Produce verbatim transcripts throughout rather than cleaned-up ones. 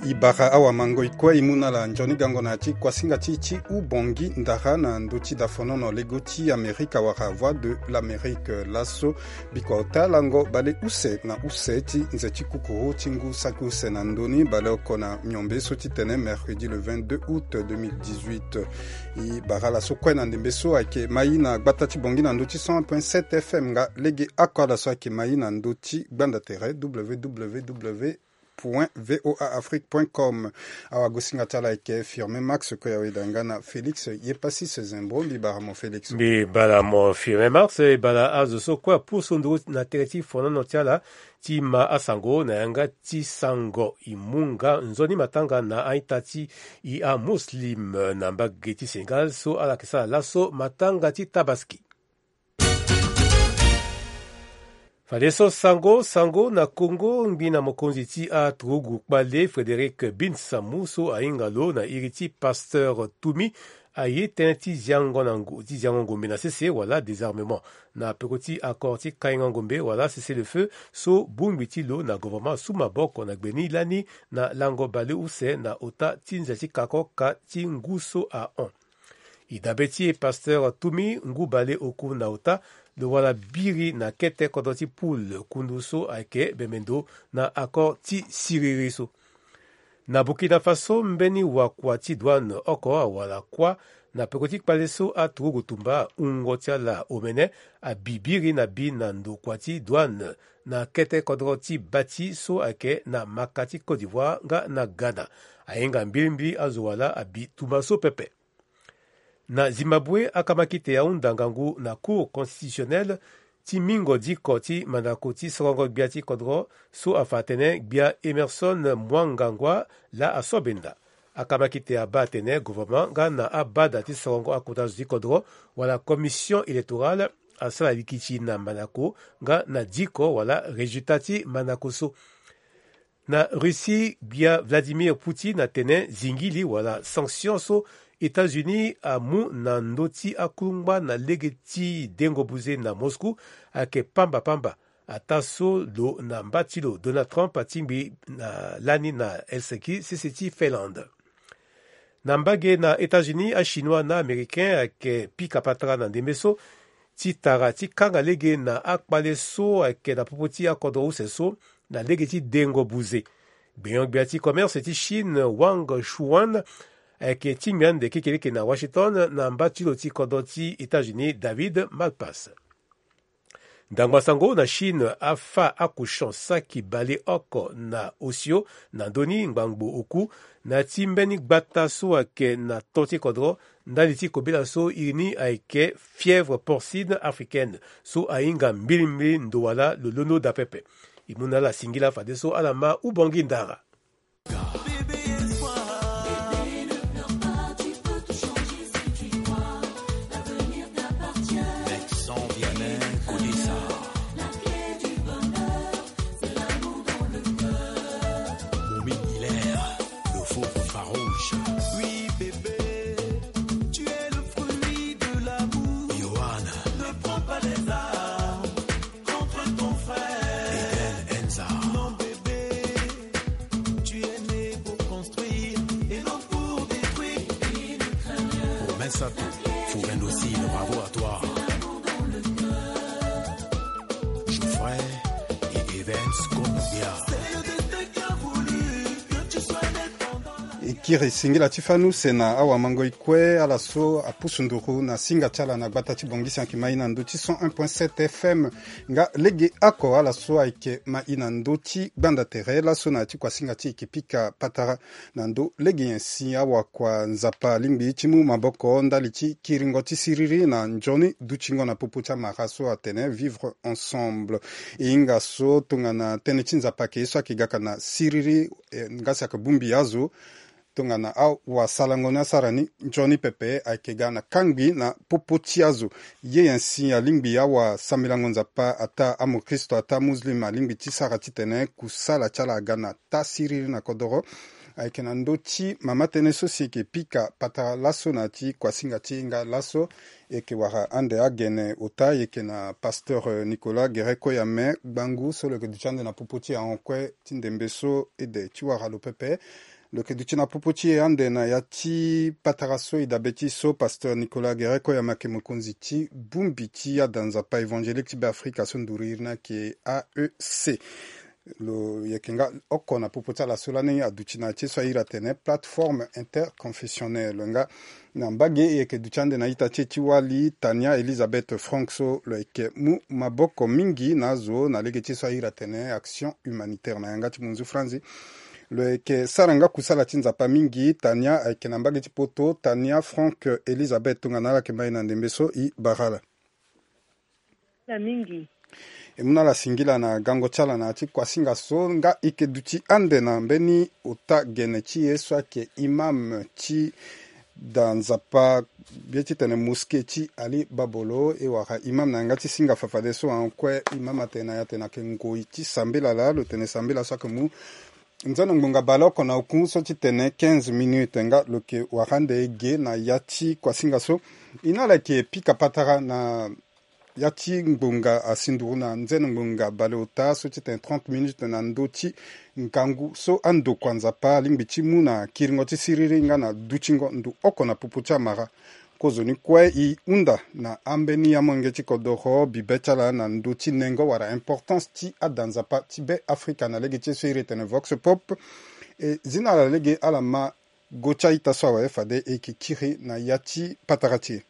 I bara awa mango i kue i mu na ala nzoni gango na ya ti kuasinga ti ti hubongi ndara na ndö ti dafonono lego ti amerika wala voix de l'amérique. Laso bikua ota lango baleuse na use ti nze ti kukuru ti ngu saki use na ndö ni baleoko na miombe so ti tene mercredi le vingt-deux août deux mille dix-huit. I bara ala so kue na ndembe so ayeke mai na gbata ti bongi na ndö ti cent un point sept fm nga lege oko ala so ayeke mai na ndö ti gbanda tere www voaafrique.com. Awagosinga ti ala ayeke firme max koya weda nga na félix yepasis zembo mbi bara mo félix. Mbi bara mo firme max e bara azo so kue apusu nduru na tere ti fonono ti ala ti ma asango na yanga ti sango i mu nga nzoni matanga na a-ita ti i amuslim na mbage ti sénégal so ala yeke sara laso matanga ti tabaski. Fadeso sango sango na kongo ngbi na mokonzi ti aturugu kpale frédéric binsamu so ahinga lo na iri ti pasteur tumi aye tënë ti ziango na ngu ti ziango ngombe na sese wala désarmement na peko ti accord ti kainga ngombe wala sese le feu so bongbi ti lo na governement asu maboko na gbe ni lani na lango baleuse na ota ti nze ti kako ka ti ngu so ahon. I dabe ti e pasteur tumi ngu baleoku na ota lo wara biri na kete kodro ti poule kundu so ayeke bembe ndo na accord ti siriri so. Na burkina faso mbeni wakua ti douane oko awara kuâ na peko ti kpale so aturugu tumba ahungo ti ala omene abi biri na bi na ndokua ti douane na kete kodro ti bati so ayeke na maka ti côte d'ivoire nga na ghana. Ahinga mbilimbili azo wala abi tumba so pepe. Na zimbabwe akama kite ahunda ngangu na cour constitutionnelle ti mingo diko ti mandako ti sorongo gbia ti kodro so afa atene gbia emerson mwangangwa laa aso benda. Akama kite abaa atene governement nga na abada ti sorongo akota zo ti kodro wala commission électorale asara likiti na mandako nga na diko wala résultat ti mandako so. Na russie gbia vladimir poutine atene zingili wala sanction so états-unis amu na ndö ti akungba na lege ti dengo buze na moscou ayeke pamba pamba. Ataa so lo na mba ti lo donald trump atingbi na lani na helsinki sese ti finlande. Na mbage na états-unis achinois na américain ayeke pika patara na ndembe so ti tara ti kanga lege na akpale so ayeke na popo ti akodro use so na lege ti dengo buze. Gbenyo-gbia ti commerce ti chine wang shuan ayeke tingbi ande kekeleke na washington na mba ti lo ti kodro ti états-unis david malpass. Ndangba sango na chine afa akushon saki baleoko na osio na ndö ni ngbangbo oku na ya ti mbeni gbata so ayeke na to ti kodro ndali ti kobela so iri ni ayeke fièvre porcine africaine so ahinga mbilimbili ndo wala lo londo daa pepe. E mu na ala singila fadeso ala ma ubongi ndara. Momi Hilaire, le faux farouche. Oui, bébé, tu es le fruit de l'amour. Johan. Ne prends pas les armes contre ton frère. Eden Enza. Non, bébé, tu es né pour construire et non pour détruire. Romain Sato, Fouren Docile, bravo à toi. Geoffrey et Evans Konubia. E kiri singila ti fani use na awamangoi kue ala so apusu nduru na singa ti ala na gbata ti bongisi ayeke mai na ndö ti cent un point sept fm. Nga lege oko ala so ayeke mai na ndö ti gbanda tere laso na ya ti kuasinga ti e yeke pika patara na ndö lege nyen si awakua nzapa alingbi ti mu maboko ndali ti kiringo ti siriri na nzoni dutingo na popo ti amara so atene vivre ensemble. E hinga so tongana tënë ti nzapa ayeke ye so ayeke gaka na siriri, eh, nga si ayeke bongbi azo tongana awasalango ni asara ni nzoni pepe ayeke ga na kangbi na popo ti azo. Ye nyen si alingbi awasambelango nzapa ataa amokristo ataa muslim alingbi ti sara titene kusala ti ala aga na taa siriri na kodoro. Ayeke na ndö ti mama tënë so si e yeke pika patara laso na ya ti kuasinga ti e nga laso. E yeke wara ande agene ota e yeke na pasteur nicolas guerret koyame gbangu so lo yeke duti ande na popo ti ahon kue ti ndembe so ede ti wara lo pepe. Lo yeke duti na popo ti e ande na ya ti patara so e dabe ti so, pasteur Nicolas Guerret, koyama ayeke mokonzi ti bongbi ti ada Nzapa évangélique ti Beafrika so nduru iri ni ayeke A E C. Lo yeke nga oko na popo ti ala so lani aduti na ya ti so a iri atene plateforme interconfessionnelle. Nga na mbage e yeke duti ande na ita ti e ti wali, Tania Elisabeth Frank so lo yeke mu maboko mingi na azo na lege ti so a iri atene action humanitaire na yanga ti munzu franzi. Lo yeke sara nga kusala ti Nzapa mingi. Tania ayeke na mbage ti poto. Tania Frank Elisabeth, tongana ala yeke mai na ndembe so, e bara ala. Singila mingi. E mu na ala singila na gango ti ala na ya ti kuasinga so. Nga e yeke duti ande na mbeni ota gene ti e so ayeke imam ti da Nzapa, ye titene mosquée ti Ali Babolo. E wara imam na yanga ti singa fafadeso, en kue imam atene na ya tene ayeke ngoi ti sambela laa. Lo tene sambela so ayeke mu nzeno ngbonga baleoko na oku so titene quinze minutes. Nga lo yeke wara ande ge na ya ti kuasinga so. E na ala yeke pika patara na ya ti ngbonga asi nduru na nzeno ngbonga baleota so titene trente minutes na ndö ti ngangu so andokua Nzapa alingbi ti mu na kiringo ti siriri nga na dutingo ndo oko na popo ti amara. Kozoni kue e hunda na ambeni amolenge ti kodoro bibe ti ala na ndö ti nengo wala importance ti ada Nzapa ti Beafrika na lege ti e so iri etene Vox Pop. E zi na ala lege ala ma go ti a-ita so awe fade e yeke kiri na ya ti patara ti e.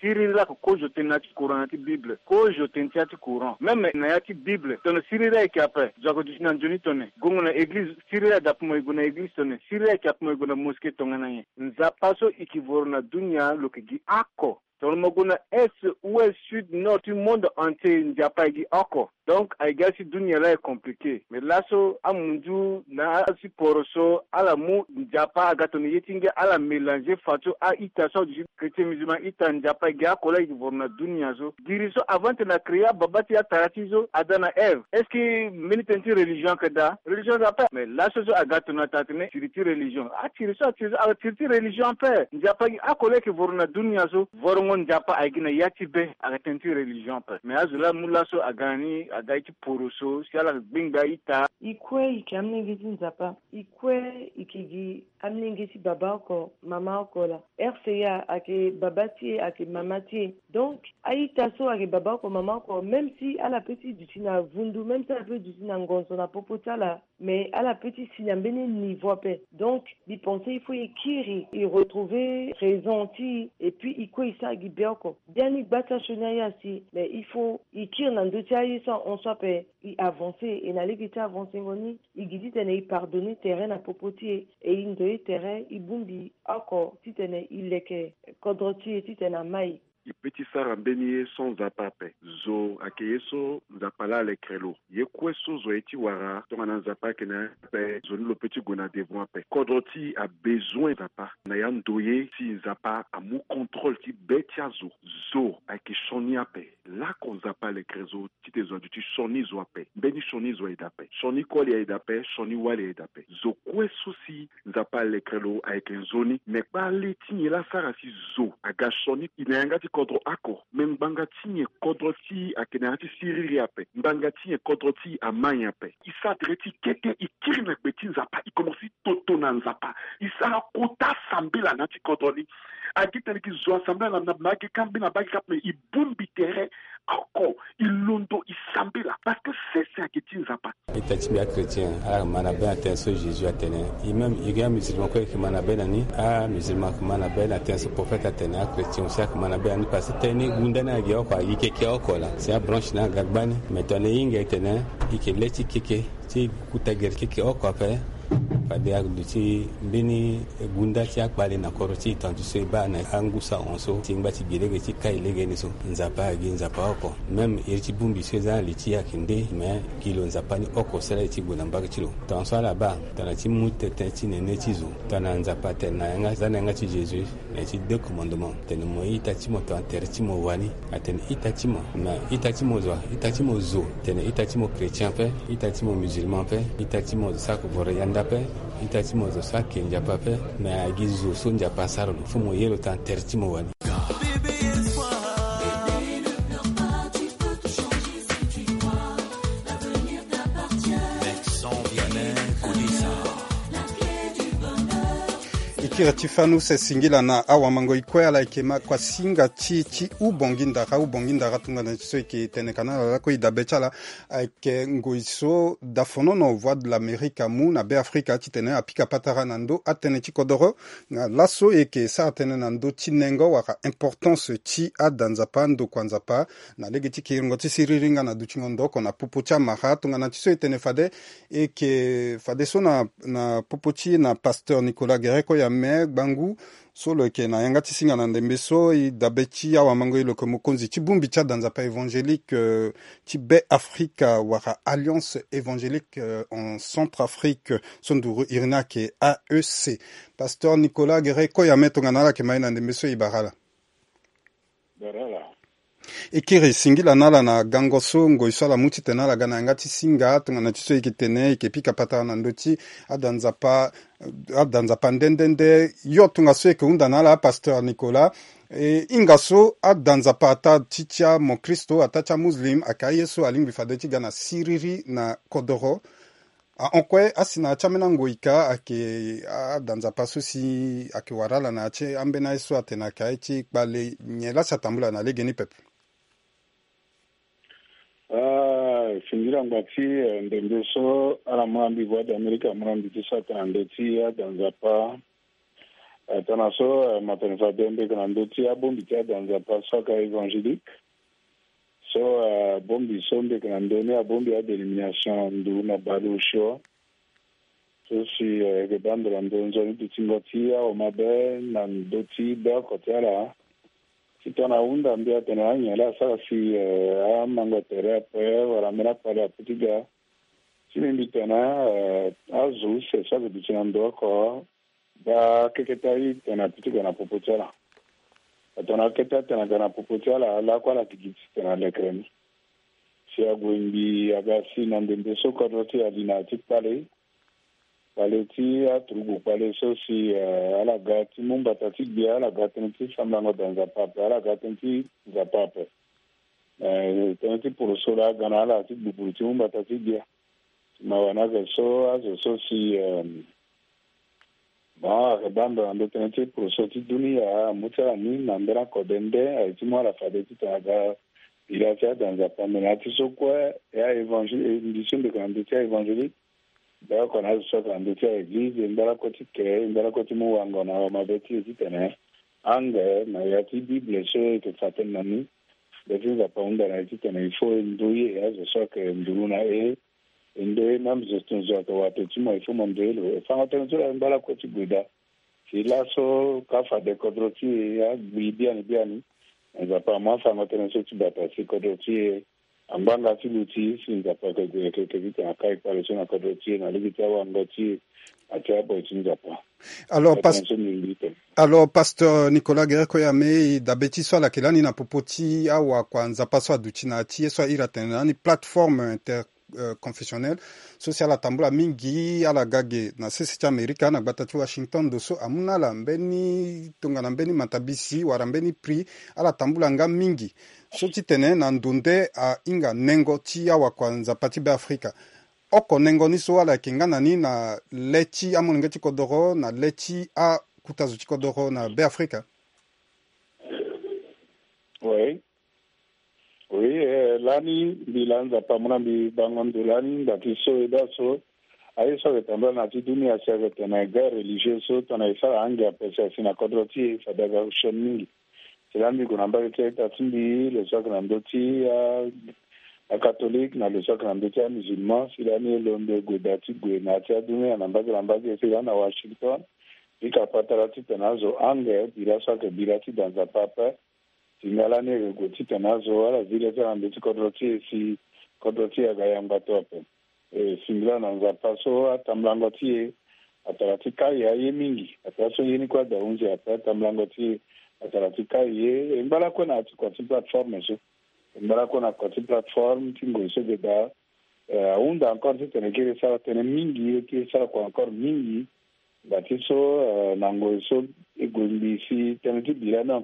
Siriri laa ake kozo tene na ya ti Coran na ya ti Bible. Kozo tene ti ya ti Coran. Même na ya ti Bible tongana siriri ayeke ape, zo ake duti na nzoni tongana e gue na église. Siriri adape mo e gue na église tongana e. Siriri ayeke ape mo e gue na mosquée tongana nyen? Nzapa so e yeke voro na dunia lo yeke gi oko. Tongana mo gue na est, ouest, sud, nord ti monde entier, Nzapa ayeke gi oko. Donc ayeke gi asi dunia laa e compliqué. Mais laso amunzu na asi poro so ala mu Nzapa aga tongana ye ti ngia, ala mélanger fadeso a-ita so aduti chrétien musulman ita. Nzapa ayeke gi oko laa e yeke voro na dunia so. Giri so avant titene a créer ababa ti e, atara ti e so, Adam na Ève, est-ce que mbeni tënë ti religion ayeke daa? Religion ayeke daa ape. Mais laso so aga tongana atara tene siri ti religion. Atiri so atiri so atiri ti religion ape. Nzapa ayeke gi oko laa e yeke voro na dunia so. Vorongo Nzapa ayeke gi na ya ti be, ayeke tënë ti religion ape. Mais azo laa amu laso aga na ni, aga ye ti poro so si ala gbengbe a-ita. E kue e yeke amolenge ti Nzapa. E kue e yeke gi amolenge ti baba oko, mama oko laa. R C A ayeke baba ti e, ayeke mama ti e. Donc a-ita so ayeke baba oko, mama oko, même si ala peut ti duti na vundu, même si ala peut duti na ngonzo na popo ti ala, mais ala peut ti si na mbeni niveau ape. Donc mbi pense il faut e kiri, e retrouver raison ti e, et puis e kue e sara gi be oko. Biani gba ti asioni aye asi, mais il faut e kiri na ndö ti aye so ahon so ape, e avancer. E na lege ti avancengo ni, e gi titene e pardonner tere na popo ti e, e ndoye tere, e bongbi oko titene e leke kodro ti e titene amai. E peut ti sara mbeni ye sans Nzapa ape. Zo ayeke ye so Nzapa laa alekere lo. Ye kue so zo aye ti wara, tongana Nzapa ayeke na ya ape, zo ni lo peut ti gue na devant ape. Kodro ti e abezoin Nzapa. Na ya ndoye si Nzapa amu contrôle ti be ti azo. Zo ayeke sioni ape. Lako Nzapa alekere zo titene zo aduti sioni zo ape. Mbeni sioni zo aye daa ape. Sioni koli aye daa ape, sioni wali aye daa ape. Zo kue so si Nzapa alekere lo ayeke nzoni. Me kpale ti nyen laa asara si zo aga sioni? E na yanga ti kodro oko. Me ngbanga ti nyen kodro ti e ayeke na yanga ti siriri ape? Ngbanga ti nyen kodro ti e amai ape? E sara tere ti kete, e kiri na gbe ti Nzapa, e komanse ti toto na Nzapa. E sara kota sambela na ya ti kodro ni. Agi tene e yeke zo asambela na, na, na age kambi na bage kambi, e bongbi tere oko, e londo, e sambela, parce que sese ayeke ti Nzapa. Ita ti mbi achrétien, ala ma na be na tënë so Jésus atene. E même e ga amusulman kue e yeke ma na be na ni. Amusulman ayeke ma na be na tënë so prophète atene, achrétien aussi ayeke ma na be na ni, parce que tënë ni gunda ni agi oko, agi keke oko laa. Si abranche ni aga gbani. Mais tongana e hinga e tene e yeke le ti keke ti kuta gere keke oko ape. Fade aduti mbeni gunda ti akpale na kodro ti e, tantu so e baa na angu so ahon so, ti ngba ti gi lege ti kai legeni so. Nzapa agi Nzapa oko. Même iri ti bongbi so e za na li ti e ayeke nde, mais gi lo Nzapa ni oko sara e ti gue na mbage ti lo. Tongaso ala baa tongana ti mu tënë ti nene ti zo, tongana Nzapa atene na yanga, za na yanga ti Jésus, na ya ti deux commandements, tene mo ye ita ti mo tongana tere ti mo wani. Atene ita ti mo, na ita ti mo zo, ita ti mo zo, tene ita ti mo chrétien ape, ita ti mo musulman ape, ita ti mo zo so ayeke voro yanda ape, ita ti mo zo so ayeke Nzapa ape. Me agi zo so Nzapa asara lo, fo mo ye lo tongana tere ti mo wani. Vincent Vianney Kodisa. Kiri ti fanu se singila na awamangoi kue ala yeke ma kua singa ti ti ubongi ndara ubongi ndara tongana ti so yeke tene kana ala lakue e dabe ti ala. Ayeke ngoi so dafonono voie de l'amérique amu na be afrika titene apika patara na ndö atënë ti kodoro. Na laso e yeke sara tënë na ndö ti nengo wala importance ti ada nzapa ndokua nzapa na lege ti kiringo ti siriri nga na dutingo ndo oko na popo ti amara tongana ti so e tene fade. E yeke fadeso na na popo ti e na pasteur Nicolas Guéret Koyame Gbangu, so lo yeke na yanga ti singa na ndembe so e dabe ti awamangoi lo yeke mokonzi ti bongbi ti ada nzapa évangélique ti be afrika wala alliance évangélique en centre afrique, so nduru iri ni ayeke A E C. Pasteur Nicolas Guéret Koyame tongana ala yeke ma e na ndembe so e bara ala. E kiri singila na ala na gango so ngoi so ala mu titene ala ga na yanga ti singa tongana ti so e yeke tene e yeke pika patara na ndö ti ada nzapa ada nzapa nde nde nde. Yo tongaso e yeke hunda na ala apasteur Nicolas. E hinga so ada nzapa ataa ti ti amokristo ataa ti amuslim ayeke aye so alingbi fade ti ga na siriri na kodoro. Ahon kue asi na ya ti ambeni angoi ka ayeke ada nzapa so si ayeke wara ala na ya ti ambeni aye so atene ayeke aye ti kpale nyen laa si atambula na legeni pepe. Singila ngba ti ndembe so ala mu na mbi voie d'amérique amu na mbi ti saka na ndö ti ada nzapa. Tana so matani fade mbi yeke na ndö ti abongbi ti ada nzapa so aka évangélique. So abongbi so mbi yeke na ndö ni abongbi adénomination nduru na baleosio. So si e yeke baa ndo na ndo nzoni dutingo ti awa mabe na ndö ti beoko ti ala. Ti tongana ahunda mbi atene anyen laa asara si amango tere ape wala ambeni akpale ape ti ga. Ti mbi mbi tene azo use so ayeke duti na ndo oko. Daa keke ti aye tene ape ti ga na popo ti ala. Atene akeke ti atene aga na popo ti ala lakue ala gigi ti tene alekere ni. Si ague ngbii aga si na ndembe so kodro ti e ali na ya ti kpale. Kpale ti aturugu kpale so si ala ga ti mu mbata ti gbia ala ga tënë ti sambalango daa nzapa ape ala ga tënë ti nzapa ape. Tënë ti poroso laa aga na ala ti gbugburu ti mu mbata ti gbia. Mawa ni ayeke so azo so si bon ayeke baa ndo na ndo tënë ti poroso ti dunia amu ti ala ni na mbela kode nde aye ti mu ala fade titene aga. Bira ti ada nzapa me na ya ti so kue e a évangile mbi so mbi yeke na ndö ti a évangélique. Mbi oko na azo so ayeke na ndö ti a église e ngba lakue ti kere e ngba lakue ti mu wango na awa mabe ti e titene ange na ya ti bible so e yeke fa tënë na ni. Nde ti nzapa ahunda na e titene il faut e ndoye azo so ayeke nduru na e. E ndoye même zo tonzo ayeke wato ti mo il faut mo ndoye lo e fango tënë ti lo aye ngba lakue ti gue daa. Si laso ka fade kodro ti e agbi biani biani. Nzapa amu afango tënë so ti bata si kodro ti e angbanga ti luti si nzapa yeke gue yeke yeke titene akai kpale so na kodro ti e na lege ti awango ti e. Na ti aboy ti nzapa. Alors pas alors pasteur Nicolas Guéret Koyame e dabe ti so ala yeke lani na popo ti awakua nzapa so aduti na ya ti ye so airi atene na ni plateforme inter confessionnelle. So si ala tambula mingi ala ga ge na sese ti amerika na gbata ti washington ndo so amu na ala mbeni tongana mbeni matabisi wala mbeni prix. Ala tambula nga mingi so titene na ndo nde ahinga nengo ti awakua nzapa ti beafrika. Oko nengo ni so ala yeke nga na ni na le ti amolenge ti kodoro na le ti akuta zo ti kodoro na beafrika. Oui. Oui. Lani mbi laa nzapa amu na mbi bango ndo lani nda ti so e daa so aye so ayeke tambula na ya ti dunia si ayeke tene guerre religieuse so tongana e sara ange ape si asi na kodro ti e fade aga sioni mingi. Si lani mbi gue na mbage ti a-ita ti mbi lo so ayeke na ndö ti a acatholique na lo so ayeke na ndö ti amusulman si lani e londo e gue daa ti gue na ya ti adunia na mbage na mbage si lani na washington. Mbi ka patara titene azo ange bira so ayeke bira ti da nzapa ape. Tinga lani e yeke gue titene azo ala zi le ti ala na ndö ti kodro ti e si kodro ti e aga yangba to ape. E singila na nzapa so atambulango ti e atara ti kai aye mingi atara so ye ni kue ada hunzi ape atambulango ti e atara ti kai ye e ngba lakue na ya ti kua ti plateforme so. E ngba lakue na kua ti plateforme ti ngoi so ge daa. Ahunda encore titene e kiri e sara tënë mingi e kiri e sara kua encore mingi. Nda ti so na ngoi so e gue ngbii si tënë ti bira ni.